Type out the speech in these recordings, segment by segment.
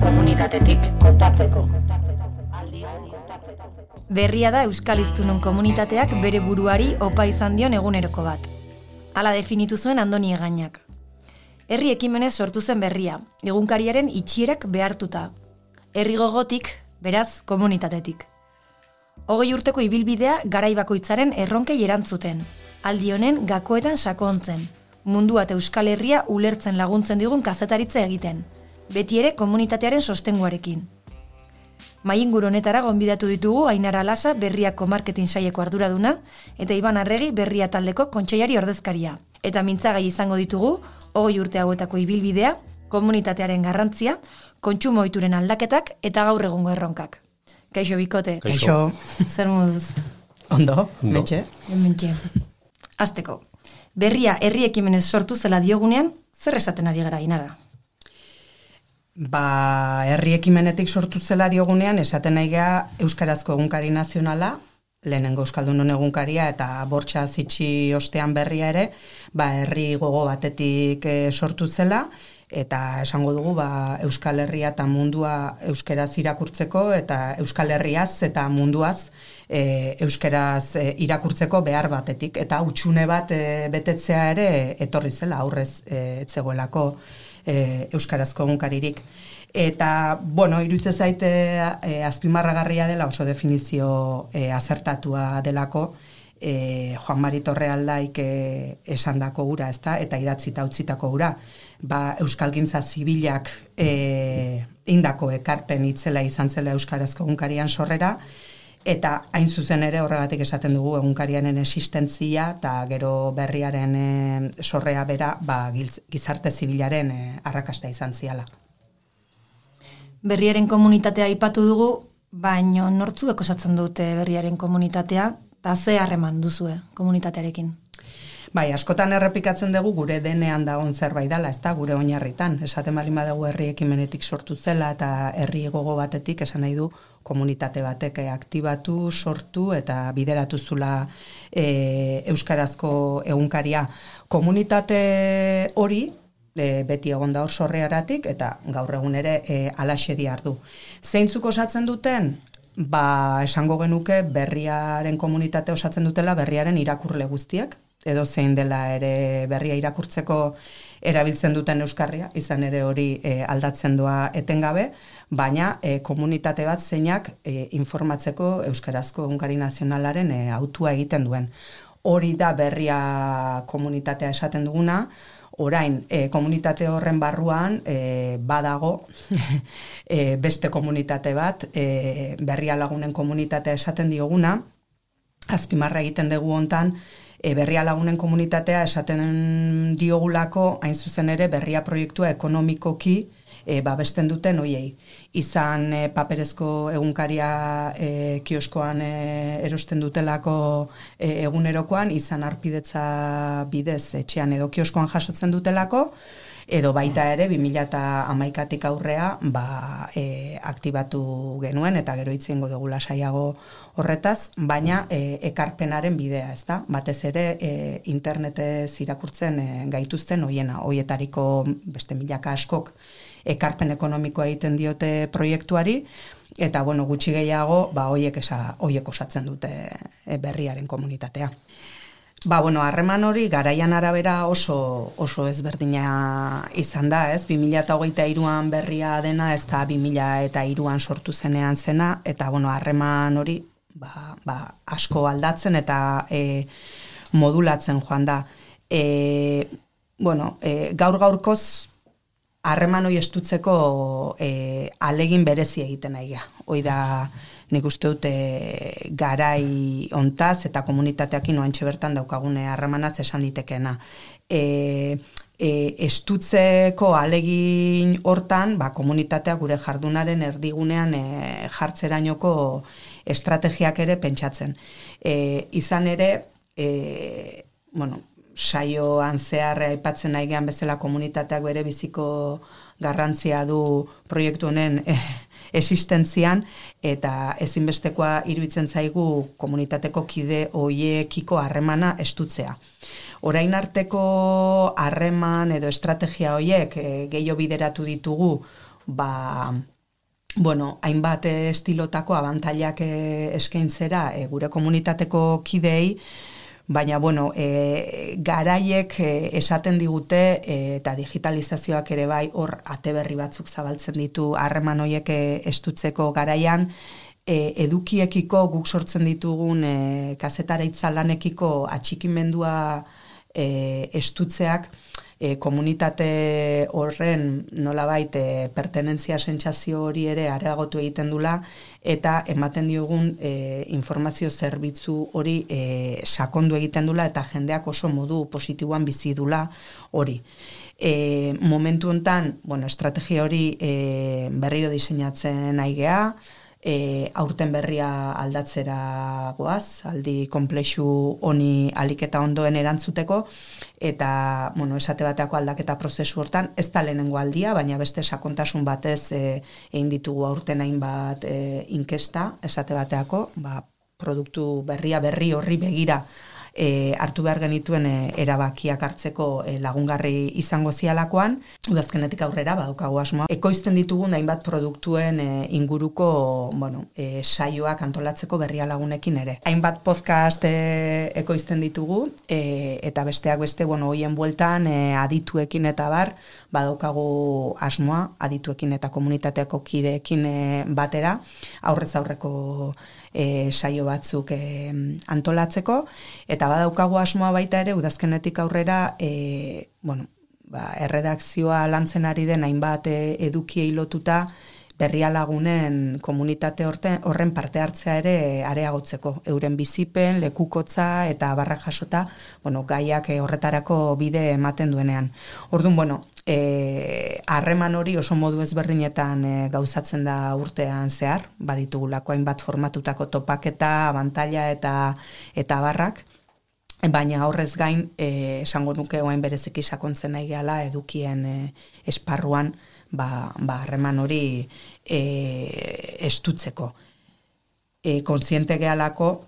Komunitatetik kontatzeko. Berria da Euskal Hiztunon komunitateak bere buruari opa izan dion eguneroko bat. Hala definitu zuen Andoni Egainak. Herri ekimenez sortu zen berria, egunkariaren itxierak behartuta. Herri gogotik, beraz, komunitatetik. 20 urteko ibilbidea garai bakoitzaren erronkei erantzuten. Aldi honen gakoetan sakontzen. Mundua eta Euskal Herria ulertzen laguntzen digun kazetaritza egiten. Beti ere komunitatearen sostenguarekin. Mainguru honetara gonbidatu ditugu Ainara Lasa Berriako marketing saileko arduraduna eta Iban Arregi Berria taldeko kontseilari ordezkaria. Eta mintzagai izango ditugu 20 urte hauetako ibilbidea, komunitatearen garrantzia, kontsumo ohituren aldaketak eta gaur egungo erronkak. Kaixo bikote. Kaixo. Zer moduz? Ondo, mentxe. Mentxe. Hasteko. Berria herri ekimenez sortu zela diogunean, zer esaten ari gara Ainara? Herri ekimenetik sortu zela diogunean, esaten nahi geha Euskarazko egunkari nazionala, lehenengo Euskaldunon egunkaria eta bortxa zitsi ostean Berria ere, herri gogo batetik sortu zela, eta esango dugu Euskal Herria eta mundua euskaraz irakurtzeko eta Euskal Herriaz eta munduaz euskaraz irakurtzeko behar batetik, eta hutsune bat betetzea ere etorri zela, aurrez etzegoelako euskarazko egunkaririk. Eta, iruditzen zaite azpimarragarria dela, oso definizio azertatua delako, Juan Mari Torrealdaik esandako ura, ezta, eta idatzita utzitako ura, euskalgintza zibilak indako ekarpen itzela izan zela euskarazko egunkarian sorrera, eta hain zuzen ere horregatik esaten dugu egunkariaren existentzia eta gero Berriaren sorrea bera gizarte zibilaren arrakasta izan ziala. Berriaren komunitatea aipatu dugu, baino nortzuek osatzen dute Berriaren komunitatea, eta ze harreman duzue komunitatearekin? Askotan errepikatzen dugu gure denean dagoen zerbait dela, ez da, gure oinarritan. Esaten baldin badugu herri ekimenetik sortu zela eta herri gogo batetik esan nahi du komunitate batek aktibatu, sortu eta bideratu zula euskarazko egunkaria. Komunitate hori beti egon da hor sorrearatik eta gaur egun ere alaxe diardu. Zeintzuk osatzen duten? Esango genuke Berriaren komunitate osatzen dutela Berriaren irakurle guztiak, edo zein dela ere Berria irakurtzeko erabiltzen duten euskarria, izan ere hori aldatzen doa etengabe, baina komunitate bat zeinak informatzeko euskarazko egunkari nazionalaren hautua egiten duen. Hori da Berria komunitatea esaten duguna. Orain, komunitate horren barruan badago beste komunitate bat, Berria Lagunen komunitatea esaten dioguna, azpimarra egiten dugu hontan, Berria Lagunen komunitatea esaten diogulako, hain zuzen ere Berria proiektua ekonomikoki babesten duten hoiei. Izan paperezko egunkaria kioskoan erosten dutelako egunerokoan, izan arpidetza bidez etxean edo kioskoan jasotzen dutelako, edo baita ere 2011tik aurrea aktibatu genuen eta gero itzengo dugu lasaiago horretaz, baina ekarpenaren bidea, ezta? Batez ere internetez irakurtzen gaituzten hoietariko beste milaka askok ekarpen ekonomikoa egiten diote proiektuari, eta gutxi gehiago hoiek osatzen dute Berriaren komunitatea. Harreman hori garaian arabera oso ezberdina izan da, ez? 2023an Berria dena, ez da 2003an sortu zenean zena, eta harreman hori asko aldatzen eta modulatzen joan da. Gaur-gaurkoz harreman hori estutzeko alegin berezi egiten nahi ga. Hoi da nik uste dute garai ontaz eta komunitateakin oantxe bertan daukagune harremanaz esan ditekeena. Estutzeko alegin hortan, komunitatea gure jardunaren erdigunean jartzerainoko estrategiak ere pentsatzen. Izan ere, saioan zehar aipatzen nahi gehan bezala komunitateak bere biziko garrantzia du proiektu honen existentzian, eta ezinbestekoa iruditzen zaigu komunitateko kide hoiekiko harremana estutzea. Orain arteko harreman edo estrategia horiek gehiago bideratu ditugu, hainbat estilotako abantailak eskaintzera gure komunitateko kideei, baina, garaiek esaten digute eta digitalizazioak ere bai hor ate berri batzuk zabaltzen ditu harreman horiek estutzeko garaian, edukiekiko guk sortzen ditugun kazetaritza lanekiko atxikimendua estutzeak komunitate horren nolabait pertenentzia sentsazio hori ere areagotu egiten dula eta ematen diogun informazio zerbitzu hori sakondu egiten dula eta jendeak oso modu positiboan bizi dula hori. Momentu hontan, estrategia hori berriro diseinatzen nahi gea, aurten berria aldatzera goaz, aldi konplexu honi aliketa ondoen erantzuteko, eta, esate bateako aldaketa prozesu hortan, ez da lehenengo aldia, baina beste sakontasun batez egin ditugu aurten hainbat inkesta, esate bateako, produktu berri horri begira hartu behar genituen erabakiak hartzeko lagungarri izango zialakoan, udazkenetik aurrera badaukagu asmoa. Ekoizten ditugun hainbat produktuen inguruko saioak antolatzeko berria lagunekin ere. Hainbat podcast ekoizten ditugu eta besteak beste hoien bueltan adituekin eta badaukagu asmoa adituekin eta komunitateako kideekin batera aurrez aurreko saio batzuk antolatzeko, eta badaukagu asmoa baita ere udazkenetik aurrera erredakzioa lantzen ari den hainbat edukiei lotuta berria lagunen komunitate horren parte hartzea ere areagotzeko, euren bizipen, lekukotza eta barrak jasota gaiak horretarako bide ematen duenean. Orduan, harreman hori oso modu ezberdinetan gauzatzen da urtean zehar, baditugulako hainbat formatutako topaketa, abantaila eta barrak, baina horrez gain esango nuke orain bereziki sakontzen nahi gehala edukien esparruan harreman hori estutzeko. Kontziente gehalako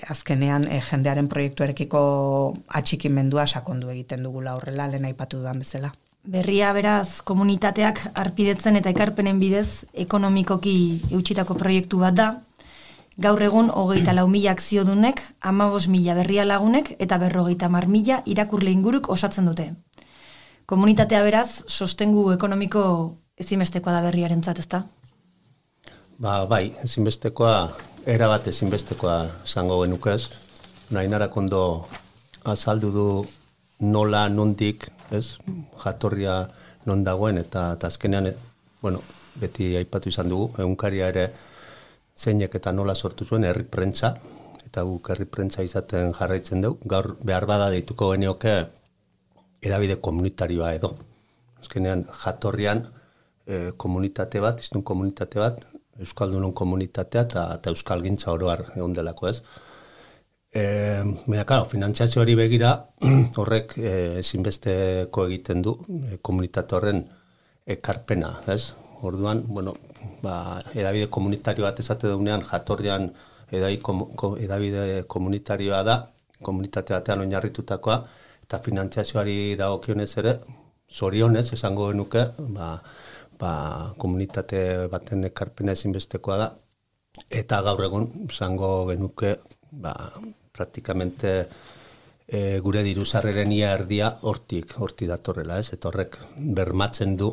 azkenean jendearen proiektuarekiko atxikimendua sakondu egiten dugula horrela lehen aipatu dudan bezala. Berria beraz komunitateak arpidetzen eta ekarpenen bidez ekonomikoki eutxitako proiektu bat da. Gaur egun 24.000 akziodunek, 15.000 berria lagunek eta 50.000 irakurle inguruk osatzen dute. Komunitatea beraz sostengu ekonomiko ezinbestekoa da berriarentzat, ezta? Bai, ezinbestekoa, erabat ezinbestekoa zango genukez. Nainarak ondo azaldu du nola, nondik, jatorria non dagoen, eta azkenean, beti aipatu izan dugu, egunkaria ere zeinek eta nola sortu zuen herri prentza, eta guk herri prentza izaten jarraitzen dugu. Gaur behar bada deituko genioke edabide komunitarioa edo. Azkenean jatorrian komunitate bat, iztun komunitate bat, Euskaldunon komunitatea eta Euskalgintza oroar egon delako ez. Finantziazio hori begira, horrek ezinbesteko egiten du komunitate horren ekarpena, ez? Orduan, edabide komunitario bat esate dugunean jatorrian edabide komunitarioa da, komunitate batean oinarritutakoa, eta finantziazioari dagokionez ere, zorionez esango genuke, komunitate baten ekarpena ezinbestekoa da, eta gaur egun esango genuke, praktikamente gure diruzarreren ia erdia hortik datorrela, ez? Eta horrek bermatzen du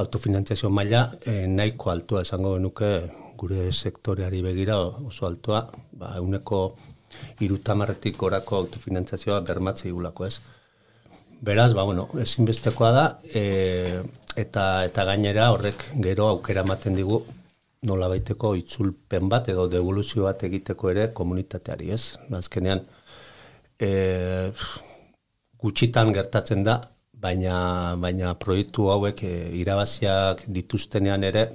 autofinantziazio maila nahiko altua esango genuke gure sektoreari begira oso altua, 30% gorako autofinantziazioa bermatzea igulako, ez? Beraz, ezinbestekoa da, eta gainera horrek gero aukera ematen digu nolabaiteko itzulpen bat edo devoluzio bat egiteko ere komunitateari, ez? Azkenean, gutxitan gertatzen da, baina proiektu hauek irabaziak dituztenean ere,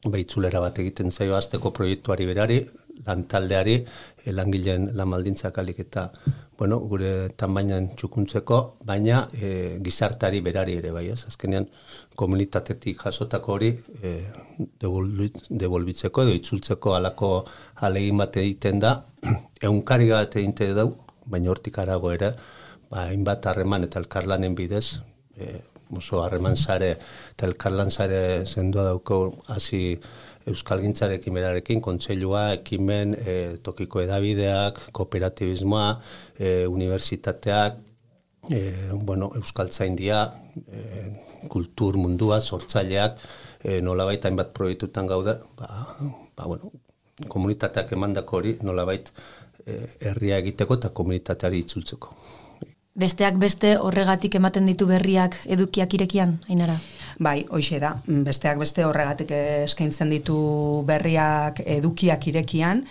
itzulera bat egiten zaio azteko proiektuari berari, lantaldeari, langileen lanbaldintzak alik eta gure tanbainan txukuntzeko, baina gizartari berari ere bai, ez? Azkenean komunitatetik jasotako hori devolbitzeko edo itzultzeko alako alegin bat egiten da, egunkari bat egiten dugu, baina hortik arago ere, hainbat harreman eta elkarlanen bidez, oso harreman sare eta elkarlan sare sendua dauko hasi euskalgintzarekin berarekin, kontseilua, ekimen, tokiko edabideak, kooperatibismoa, unibertsitateak, euskaltzaindia, kultur mundua, sortzaileak, nolabait hainbat proiektutan gaude, komunitateak emandako hori nolabait herria egiteko eta komunitateari itzultzeko. Besteak beste horregatik ematen ditu berriak edukiak irekian, Ainara? Bai, hoixe da. Besteak beste horregatik eskaintzen ditu berriak edukiak irekian.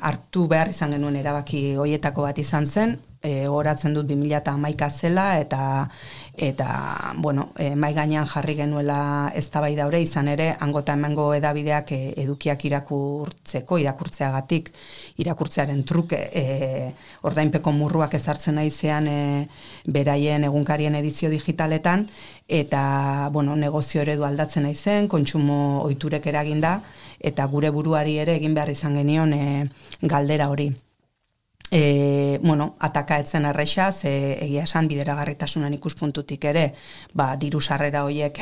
Hartu behar izan genuen erabaki hoietako bat izan zen, horatzen dut 2011 zela eta mai gainean jarri genuela eztabaida hori izan ere hangota hemengo edabideak edukiak irakurtzeagatik irakurtzearen truke ordainpeko murruak ezartzen naizean beraien egunkarien edizio digitaletan eta negozio eredu aldatzen naizen, kontsumo ohiturek eraginda eta gure buruari ere egin behar izan genion galdera hori. Ataka etzen erresa, egia esan bideragarritasunan ikuspuntutik ere, diru sarrera horiek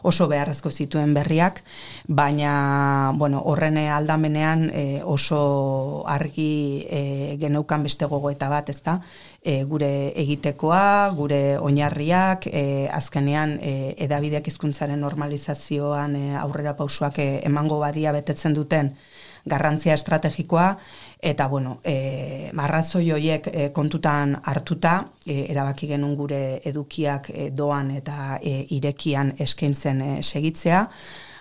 oso beharrezko zituen berriak, baina horren aldamenean oso argi geneukan beste gogoeta bat, ezta? Gure egitekoa, gure oinarriak, azkenean edabideak hizkuntzaren normalizazioan aurrera pausoak emango badia betetzen duten garrantzia estrategikoa, eta arrazoi horiek kontutan hartuta, erabaki genuen gure edukiak doan eta irekian eskaintzen segitzea,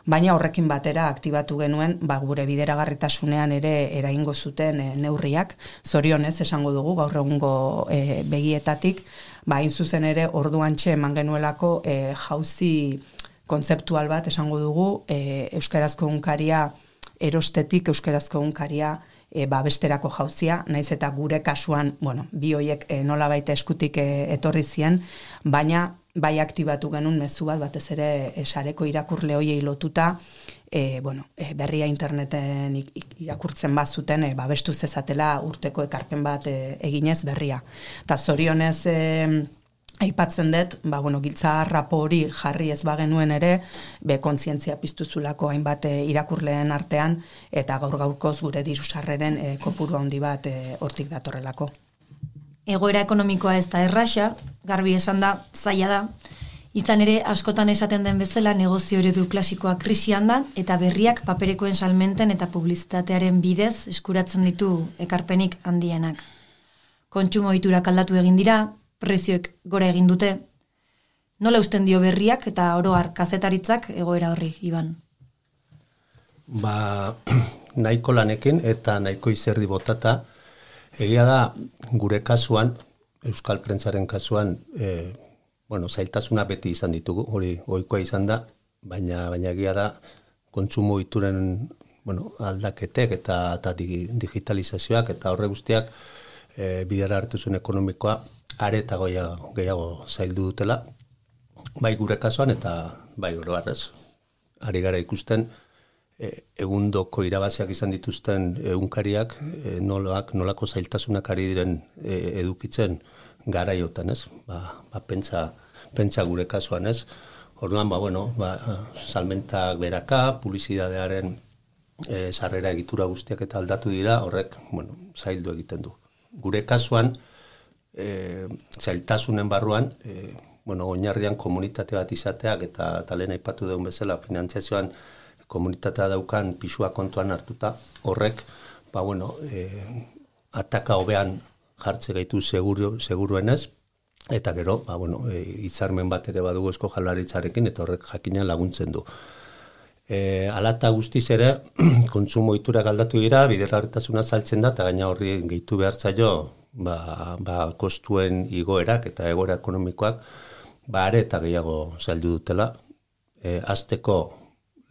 baina horrekin batera aktibatu genuen gure bideragarritasunean ere eragingo zuten neurriak, zorionez esango dugu gaur egungo begietatik, hain zuzen ere orduantxe eman genuelako jauzi kontzeptual bat esango dugu, euskarazko egunkaria erostetik euskarazko egunkaria besterako jauzia, naiz eta gure kasuan, bi hoiek nolabait eskutik etorri zien, baina bai aktibatu genuen mezu bat, batez ere sareko irakurle hoiei lotuta, berria interneten irakurtzen bazuten, babestu zezatela urteko ekarpen bat eginez berria. Eta zorionez aipatzen dut, giltza rapo hori jarri ez bagenuen ere, kontzientzia piztu zulako hainbat irakurleen artean, eta gaur-gaurkoz gure diru sarreren kopuru handi bat hortik datorrelako. Egoera ekonomikoa ez da erraxa, garbi esan da, zaila da, izan ere askotan esaten den bezala negozio eredu klasikoa krisian da, eta berriak paperekoen salmenten eta publizitatearen bidez eskuratzen ditu ekarpenik handienak. Kontsumo ohiturak aldatu egin dira, prezioek gora egin dute. Nola usten dio berriak eta oro har kazetaritzak egoera horri, Iban? Nahiko lanekin eta nahiko izerdi botata, egia da gure kasuan, euskal prentzaren kasuan, zailtasuna beti izan ditugu, hori ohikoa izan da, baina egia da kontsumo ohituren aldaketek eta digitalizazioak eta horre guztiak bidera hartuzun ekonomikoa are eta gehiago zaildu dutela, bai gure kasuan eta bai oro harrez. Ari gara ikusten egundoko irabaziak izan dituzten egunkariak nolako zailtasunak ari diren edukitzen garaiotan, ez? Pentsa gure kasuan, ez? Orduan, salmentak beraka, publizidadearen sarrera egitura guztiak eta aldatu dira, horrek, zaildu egiten du. Gure kasuan, zailtasunen barruan, oinarrian komunitate bat izateak eta lehen aipatu deun bezala finantziazioan komunitatea daukan pisua kontuan hartuta, horrek, ataka hobean jartze gaitu seguruenez, eta gero, hitzarmen bat ere badugu Eusko Jaurlaritzarekin eta horrek jakina laguntzen du. Alata guztiz ere, kontsumo ohiturak aldatu dira, bideragarritasuna saltzen da, eta gaina horri gehitu behar zaio, kostuen igoerak eta egoera ekonomikoak, are eta gehiago zaildu dutela. Hasteko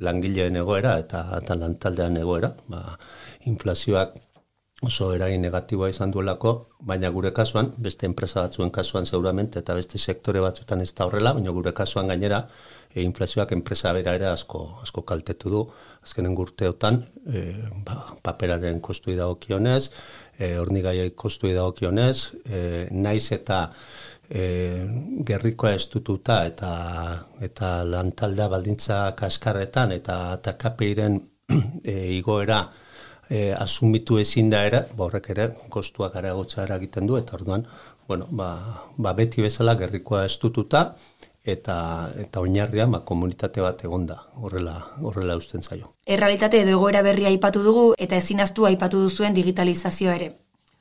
langileen egoera eta lantaldean egoera, inflazioak oso eragin negatiboa izan duelako, baina gure kasuan, beste enpresa batzuen kasuan seguramente, eta beste sektore batzuetan ez da horrela, baina gure kasuan gainera, inflazioak enpresa bera ere asko kaltetu du, azkenen urteotan, paperaren kostui dagokionez, hornigaiai kostui dagokionez, naiz eta gerrikoa estututa eta lantaldea baldintza kaskarretan eta KPIren igoera asumitu ezin da ere, horrek ere kostuak areagotza eragiten du, eta orduan, bueno, beti bezala gerrikoa estututa, eta oinarria komunitate bat egonda, horrela usten zaio. Errealitate edo egoera berria aipatu dugu, eta ezinaztu aipatu duzuen digitalizazioa ere.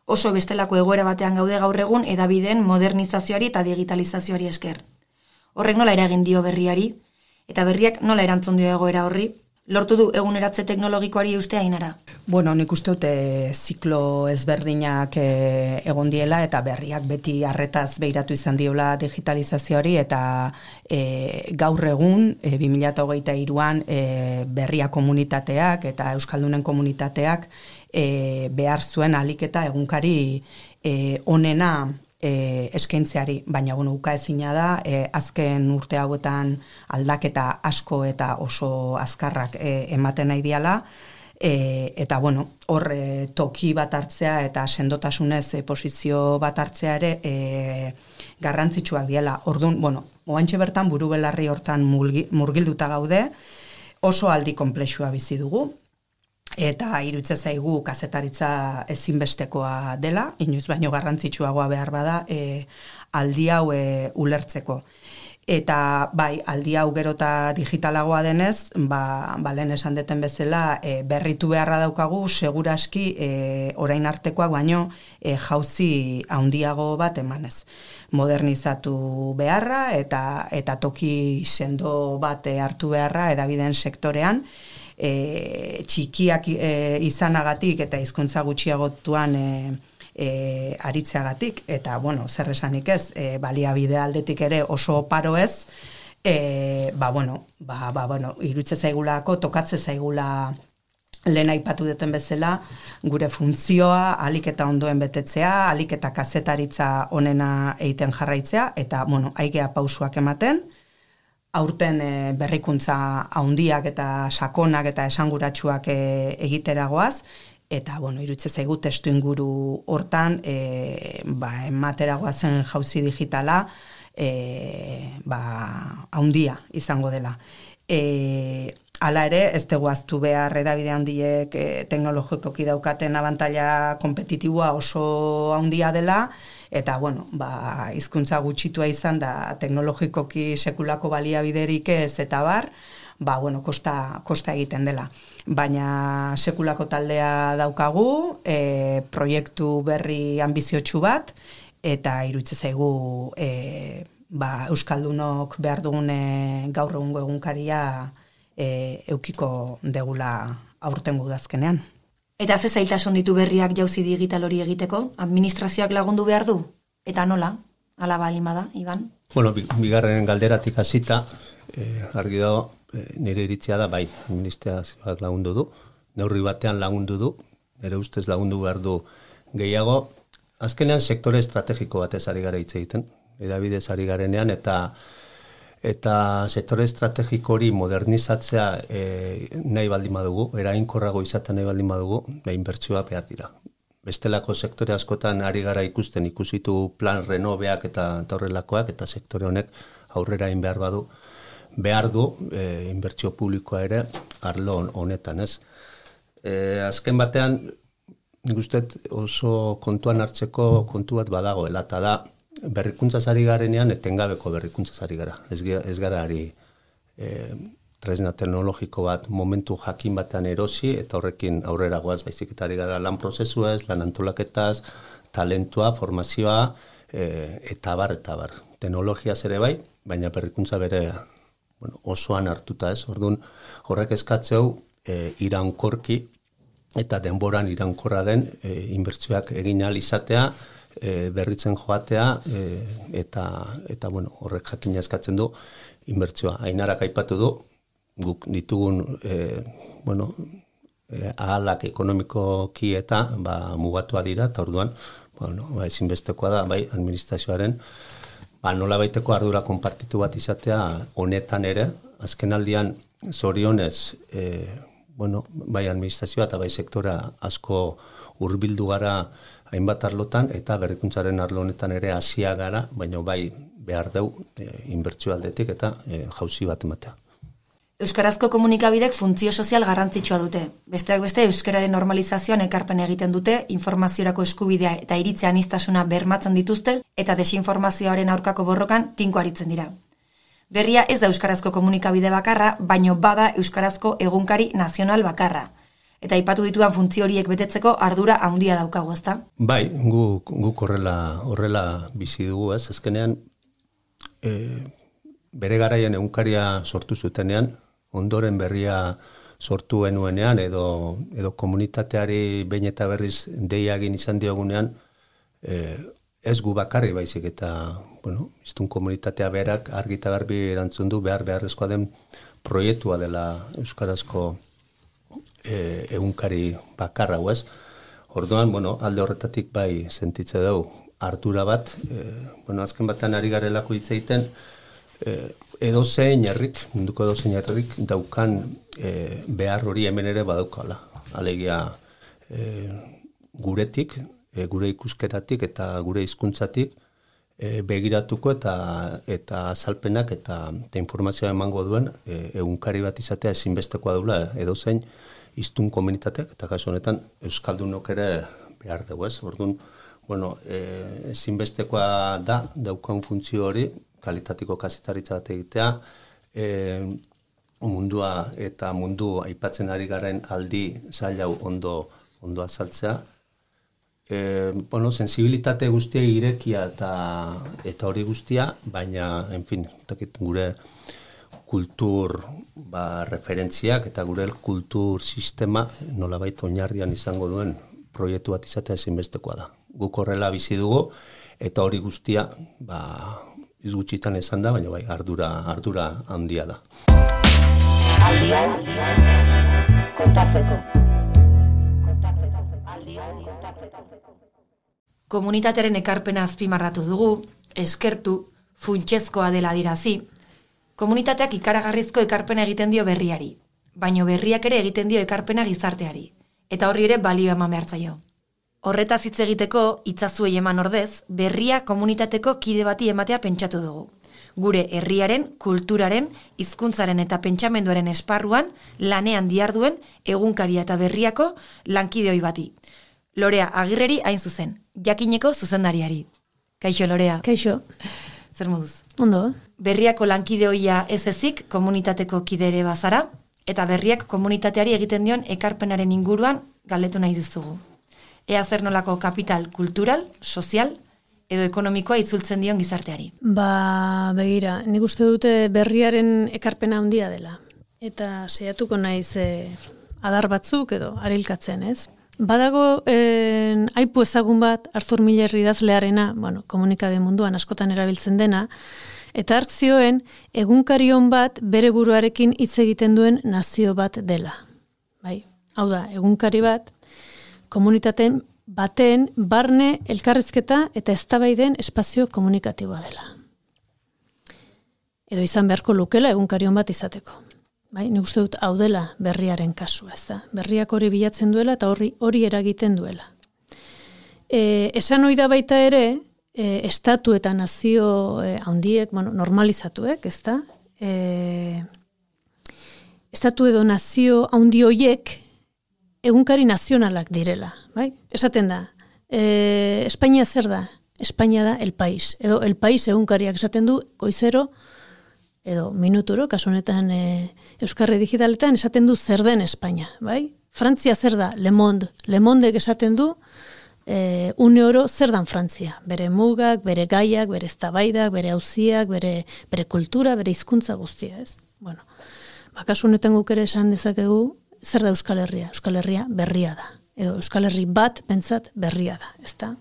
Oso bestelako egoera batean gaude gaur egun hedabideen modernizazioari eta digitalizazioari esker. Horrek nola eragin dio berriari, eta berriak nola erantzun dio egoera horri, lortu du eguneratze teknologikoari eustea Ainara? Bueno, nik uste dute ziklo ezberdinak egon diela eta berriak beti arretaz behiratu izan diola digitalizazioari eta gaur egun 2023an berria komunitateak eta euskaldunen komunitateak behar zuen ahalik eta egunkari onena eskaintzeari, baina ukaezina da, azken urte hauetan aldaketa asko eta oso azkarrak ematen nahi diala, eta hor toki bat hartzea eta sendotasunez posizio bat hartzea ere garrantzitsuak diela. Orduan, oantxe bertan buru belarri hortan murgilduta gaude, oso aldi konplexua bizi dugu, eta iruditzen zaigu kazetaritza ezinbestekoa dela, inoiz baino garrantzitsuagoa behar bada aldi hau ulertzeko. Eta bai, aldi hau gero eta digitalagoa denez, lehen esan deten bezala, berritu beharra daukagu, seguraski orain artekoak baino jauzi handiago bat emanez. Modernizatu beharra eta toki sendo bat hartu beharra hedabideen sektorean, txikiak izanagatik eta hizkuntza gutxiagotuan aritzeagatik, eta zer esanik ez, baliabide aldetik ere oso oparo ez, irutze zaigulako, tokatze zaigula lehen aipatu duten bezala, gure funtzioa ahalik eta ondoen betetzea, ahalik eta kazetaritza onena egiten jarraitzea, eta aigea pausuak ematen, aurten berrikuntza handiak eta sakonak eta esanguratsuak egiteragoaz, eta irutze zaigu testu inguru hortan emateragoazen jauzi digitala handia izango dela. Hala ere, ez dugu aztu behar hedabide handiek teknologikoki daukaten abantaila kompetitiboa oso handia dela, eta hizkuntza gutxitua izan da teknologikoki sekulako baliabiderik ez eta bar, kosta egiten dela. Baina sekulako taldea daukagu, proiektu berri anbiziotsu bat, eta iruditzen zaigu euskaldunok behar dugun gaur egungo egunkaria eukiko degula aurtengo udazkenean. Eta ze zailtasun ditu berriak jauzi digital hori egiteko? Administrazioak lagundu behar du? Eta nola? Hala baldin bada, Iban? Bigarren galderatik hasita, argi dago, nire iritzia da, bai, administrazioak lagundu du, neurri batean lagundu du, nire ustez lagundu behar du gehiago. Azkenean sektore estrategiko batez ari gara hitz egiten, hedabidez ari garenean, eta sektore estrategiko hori modernizatzea nahi baldin badugu, eraginkorrago izaten nahi baldin badugu, inbertsioa behar dira. Bestelako sektore askotan ari gara ikusitu plan renoveak eta horrelakoak, eta sektore honek aurrera egin behar du inbertsio publikoa ere arlo honetan, ez? Azken batean, nik uste oso kontuan hartzeko kontu bat badagoela, eta da, berrikuntzaz ari garenean etengabeko berrikuntzaz ari gara. Ez gara ari tresna teknologiko bat momentu jakin batean erosi eta horrekin aurrera goaz, baizik eta ari gara lan prozesuez, lan antolaketaz, talentua, formazioa, eta bar. Teknologiaz ere bai, baina berrikuntza bere osoan hartuta ez. Orduan horrek eskatzeu iraunkorki eta denboran iraunkorra den inbertsioak egin ahal izatea, berritzen joatea eta horrek jakina eskatzen du inbertsioa. Ainarak aipatu du, guk ditugun ahalak ekonomikoki eta mugatua dira, eta orduan, ezinbestekoa da, bai, administrazioaren, nolabaiteko ardura konpartitu bat izatea honetan ere, azken aldian zorionez, bai administrazioa eta bai sektora asko hurbildu gara hainbat arlotan, eta berrikuntzaren arlo honetan ere hasia gara, baina bai behar deu inbertsio aldetik eta jauzi bat ematea. Euskarazko komunikabidek funtzio sozial garrantzitsua dute. Besteak beste euskararen normalizazioan ekarpen egiten dute, informaziorako eskubidea eta iritzi aniztasuna bermatzen dituzte eta desinformazioaren aurkako borrokan tinko aritzen dira. Berria ez da euskarazko komunikabide bakarra, baino bada euskarazko egunkari nazional bakarra. Eta aipatu ditudan funtzio horiek betetzeko ardura handia daukagu, ezta? Bai, guk horrela bizi dugu, ez? Azkenean, bere garaian egunkaria sortu zutenean, ondoren berria sortu genuenean, edo komunitateari behin eta berriz deia egin izan diogunean, ez gu bakarri baizik eta, iztun komunitatea berak argi eta garbi erantzun du beharrezkoa den proiektua dela euskarazko egunkari bakarra, ez? Orduan, alde horretatik bai sentitze dugu ardura bat, azken batean ari garelako hitz egiten, edozein herrik, munduko edozein herrik daukan behar hori hemen ere badaukala. Alegia guretik, gure ikuskeratik eta gure hizkuntzatik begiratuko eta azalpenak eta informazioa emango duen egunkari bat izatea ezinbestekoa dula edozein hiztun komunitateak, eta kasu honetan euskaldunok ere behar dugu, ez? Orduan, ezinbestekoa daukan funtzio hori, kalitatiko kazetaritza bat egitea, mundua eta mundu aipatzen ari garen aldi zaila ondo azaltzea, sensibilitate guztia irekia eta hori guztia, baina, gure kultur referentziak eta gure kultur sistema nolabait oinarrian izango duen proiektu bat izatea ezinbestekoa da. Guk horrela bizi dugu, eta hori guztia, izgutxitan esan da, baina bai, ardura handia da. Aldia kontatzeko. Komunitatearen ekarpena azpimarratu dugu, eskertu, funtsezkoa dela dirazi. Komunitateak ikaragarrizko ekarpena egiten dio berriari, baino berriak ere egiten dio ekarpena gizarteari, eta horri ere balio eman behar zaio. Horretaz hitz egiteko, itzazuei eman ordez, berria komunitateko kide bati ematea pentsatu dugu. Gure herriaren, kulturaren, hizkuntzaren eta pentsamenduaren esparruan lanean diharduen egunkaria eta berriako lankideoi bati. Lorea Agirreri hain zuzen, jakineko zuzendariari. Kaixo, Lorea. Kaixo. Zer moduz? Ondo. Berriako lankideoia ez ezik komunitateko kidere bazara, eta berriak komunitateari egiten dion ekarpenaren inguruan galdetu nahi duzugu. Ea zer nolako kapital kultural, sozial edo ekonomikoa itzultzen dion gizarteari. Begira, nik uste dute berriaren ekarpena handia dela. Eta saiatuko naiz adar batzuk edo arilkatzen, ez? Badago aipu ezagun bat Arthur Miller idazlearena, komunikabe munduan askotan erabiltzen dena, eta hark zioen egunkarion bat bere buruarekin hitz egiten duen nazio bat dela. Bai, hau da, egunkari bat komunitateen baten barne elkarrizketa eta eztabaiden espazio komunikatiboa dela. Edo izan beharko lukela egunkarion bat izateko. Bai, nik uste dut hau dela berriaren kasua, ez da. Berriak hori bilatzen duela eta hori eragiten duela. Esan ohi da baita ere, estatu eta nazio handiek, normalizatuek, ez da. Estatu edo nazio handi horiek egunkari nazionalak direla, bai? Esaten da, Espainia zer da? Espainia da El País, edo El País egunkariak esaten du goizero, edo minuturo, kasu honetan Euskarri digitaletan esaten du zer den Espainia, bai? Frantzia zer da? Le Monde. Le Mondek esaten du une oro zer dan Frantzia. Bere mugak, bere gaiak, bere eztabaidak, bere auziak, bere kultura, bere hizkuntza guztia, ez? Kasu honetan guk ere esan dezakegu zer da Euskal Herria? Euskal Herria berria da. Edo Euskal Herri bat pentsat berria da, ezta?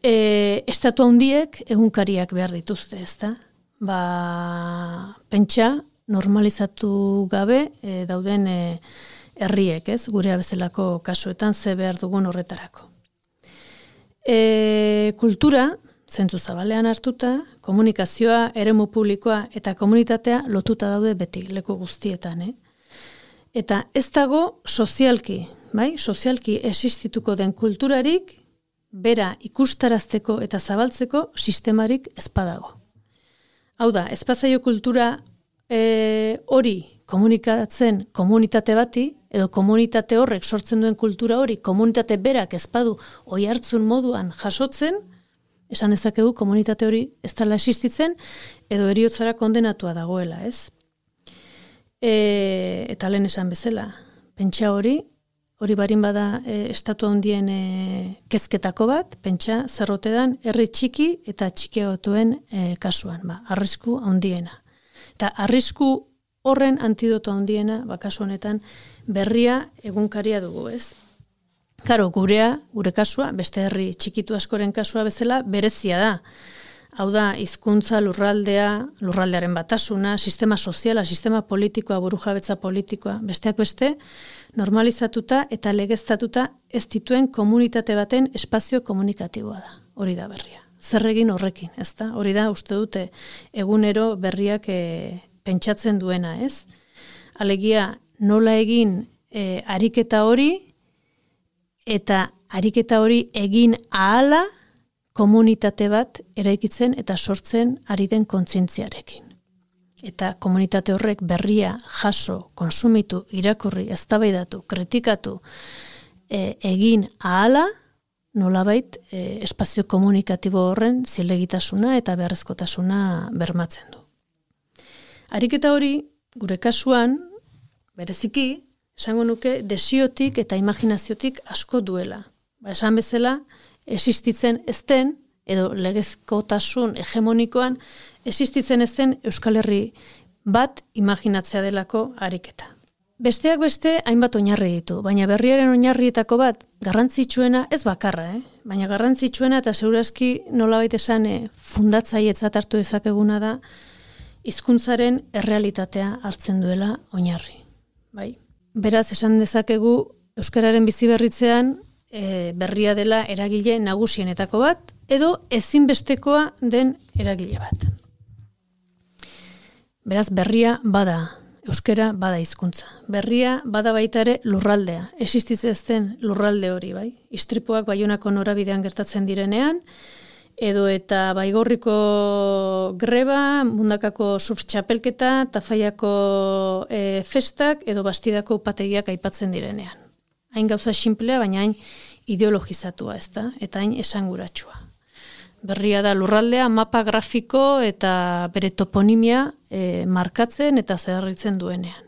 Estatu handiek egunkariak behar dituzte, ezta? Pentsa normalizatu gabe dauden herriek, ez, gurea bezalako kasuetan ze behar dugun horretarako. Kultura, zentzu zabalean hartuta, komunikazioa, eremu publikoa eta komunitatea lotuta daude beti, leku guztietan, Eta ez dago sozialki, sozialki existituko den kulturarik, bera ikustarazteko eta zabaltzeko sistemarik ez badago. Hau da, ez bazaio kultura hori komunikatzen komunitate bati, edo komunitate horrek sortzen duen kultura hori, komunitate berak ez badu oihartzun moduan jasotzen, esan dezakegu komunitate hori ez dela existitzen, edo heriotzara kondenatua dagoela, ez? Eta lehen esan bezala, pentsa hori barin bada estatu handien kezketako bat, pentsa zerrotedan herri txiki eta txikiagotuen kasuan, arrisku handiena. Eta arrisku horren antidoto handiena, kasu honetan, berria egunkaria dugu, ez? Karo, gure kasua, beste herri txikitu askoren kasua bezala, berezia da. Hau da, hizkuntza, lurraldearen batasuna, sistema soziala, sistema politikoa, burujabetza politikoa, besteak beste, normalizatuta eta legeztatuta ez dituen komunitate baten espazio komunikatiboa da. Hori da berria. Zer egin horrekin, ez da? Hori da, uste dute, egunero berriak pentsatzen duena, ez? Alegia, nola egin ariketa hori, eta ariketa hori egin ahala, komunitate bat eraikitzen eta sortzen ari den kontzientziarekin. Eta komunitate horrek berria jaso, konsumitu, irakurri, eztabaidatu, kritikatu, egin ahala, nolabait espazio komunikatibo horren zilegitasuna eta beharrezkotasuna bermatzen du. Ariketa hori, gure kasuan, bereziki, esango nuke, desiotik eta imaginaziotik asko duela. Esan bezala, existitzen ez den, edo legezkotasun hegemonikoan, existitzen ez den Euskal Herri bat imaginatzea delako ariketa. Besteak beste, hainbat oinarri ditu, baina berriaren oinarrietako bat, garrantzitsuena, ez bakarra, baina garrantzitsuena eta segurazki nolabait esan fundatzailetzat hartu dezakeguna da, hizkuntzaren errealitatea hartzen duela oinarri. Beraz, esan dezakegu, euskararen biziberritzean, berria dela eragile nagusienetako bat, edo ezinbestekoa den eragile bat. Beraz, berria bada, euskara bada hizkuntza. Berria bada baita ere lurraldea, existitzen lurralde hori, Istripuak Baionako norabidean gertatzen direnean, edo eta Baigorriko greba, Mundakako surf txapelketa, Tafaiako festak, edo Bastidako upategiak aipatzen direnean. Hain gauza simplea, baina hain ideologizatua, ez da, eta hain esanguratsua. Berria da lurraldea, mapa grafiko eta bere toponimia markatzen eta zeharritzen duenean.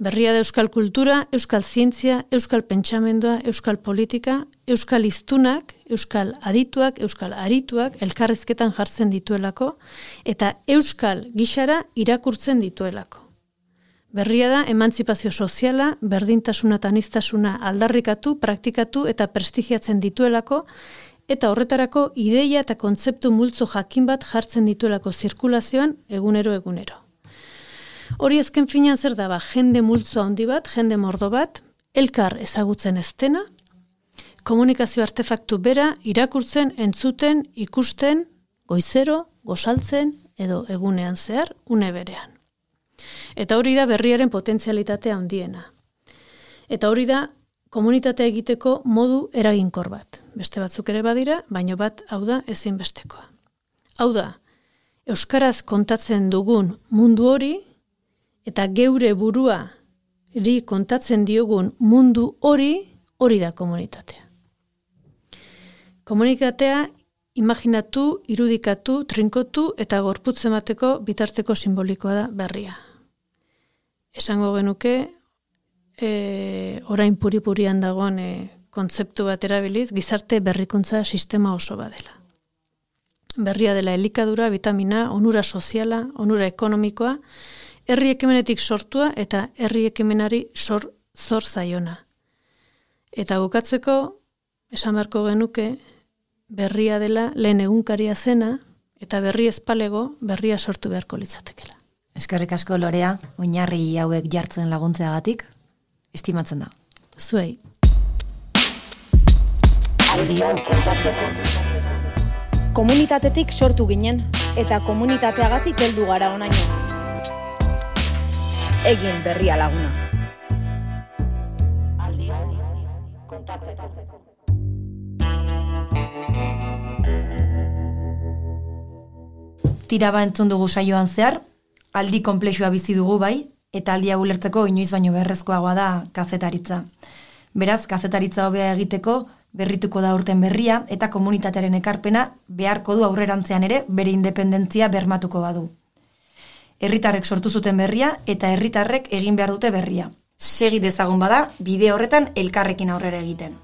Berria da euskal kultura, euskal zientzia, euskal pentsamendua, euskal politika, euskal hiztunak, euskal adituak, euskal arituak elkarrezketan jartzen dituelako eta euskal gixara irakurtzen dituelako. Berria da emantzipazio soziala, berdintasuna eta aniztasuna aldarrikatu, praktikatu eta prestigiatzen dituelako eta horretarako ideia eta kontzeptu multzo jakin bat jartzen dituelako zirkulazioan egunero. Hori ezken finean zer da, jende multzo handi bat, jende mordo bat, elkar ezagutzen ez dena, komunikazio artefaktu bera irakurtzen, entzuten, ikusten, goizero, gozaltzen edo egunean zehar, une berean. Eta hori da berriaren potentzialitatea handiena. Eta hori da komunitatea egiteko modu eraginkor bat. Beste batzuk ere badira, baino bat hau da ezinbestekoa. Hau da, euskaraz kontatzen dugun mundu hori, eta geure buruari kontatzen diogun mundu hori da komunitatea. Komunitatea imaginatu, irudikatu, trinkotu eta gorputz emateko bitarteko simbolikoa da berria. Esango genuke, orain puri-purian dagoen kontzeptu bat erabiliz, gizarte berrikuntza sistema oso badela. Berria dela elikadura, vitamina, onura soziala, onura ekonomikoa, herri ekimenetik sortua eta herri ekimenari zor zaiona. Eta bukatzeko, esan beharko genuke, berria dela lehen egunkaria zena, eta berri ezpalego berria sortu beharko litzatekela. Eskerrik asko Lorea, oinarri hauek jartzen laguntzeagatik. estimatzen da. Zuei. Aldian kontatzeko. Komunitatetik sortu ginen, eta komunitateagatik heldu gara honaino. Egin berria laguna. Aldian kontatzeko. Tiraba entzun dugu saioan zehar, aldi konplexua bizi dugu bai, eta aldia ulertzeko inoiz baino beharrezkoagoa da kazetaritza. Beraz, kazetaritza hobea egiteko berrituko da urten berria eta komunitatearen ekarpena beharko du aurrerantzean ere bere independentzia bermatuko badu. Herritarrek sortu zuten berria eta herritarrek egin behar dute berria. Segi dezagun bada, bide horretan elkarrekin aurrera egiten.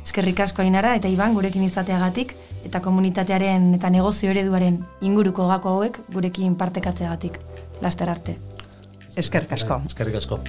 Eskerrik asko Ainara eta Iban gurekin izateagatik eta komunitatearen eta negozio ereduaren inguruko gako hauek gurekin partekatzeagatik. Laster arte. Eskerrik asko. Eskerrik asko.